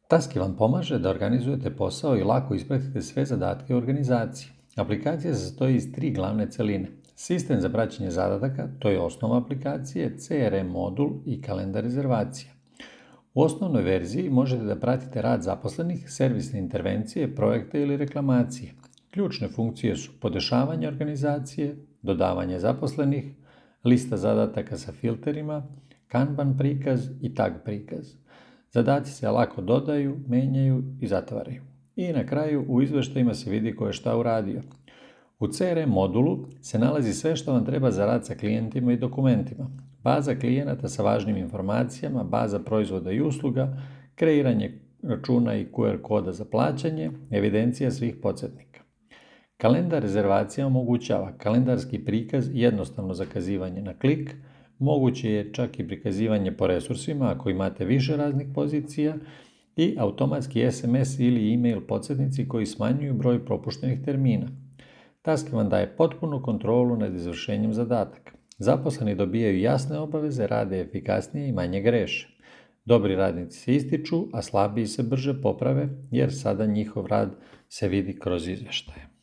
Taski vam pomaže da organizujete posao i lako ispratite sve zadatke u organizaciji. Aplikacija se sastoji iz 3 glavne celine. Sistem za praćenje zadataka, to je osnova aplikacije, CRM modul i kalendar rezervacija. U osnovnoj verziji možete da pratite rad zaposlenih, servisne intervencije, projekte ili reklamacije. Ključne funkcije su podešavanje organizacije, dodavanje zaposlenih, lista zadataka sa filterima, Kanban prikaz i tag prikaz. Zadaci se lako dodaju, menjaju i zatvaraju. I na kraju u izveštajima se vidi ko je šta uradio. U CRM modulu se nalazi sve što vam treba za rad sa klijentima i dokumentima. Baza klijenata sa važnim informacijama, baza proizvoda i usluga, kreiranje računa i QR koda za plaćanje, evidencija svih podsjetnika. Kalendar rezervacija omogućava kalendarski prikaz i jednostavno zakazivanje na klik, moguće je čak i prikazivanje po resursima ako imate više raznih pozicija i automatski SMS ili e-mail podsjetnici koji smanjuju broj propuštenih termina. Task vam daje potpunu kontrolu nad izvršenjem zadataka. Zaposleni dobijaju jasne obaveze, rade efikasnije i manje greše. Dobri radnici se ističu, a slabiji se brže poprave jer sada njihov rad se vidi kroz izveštaje.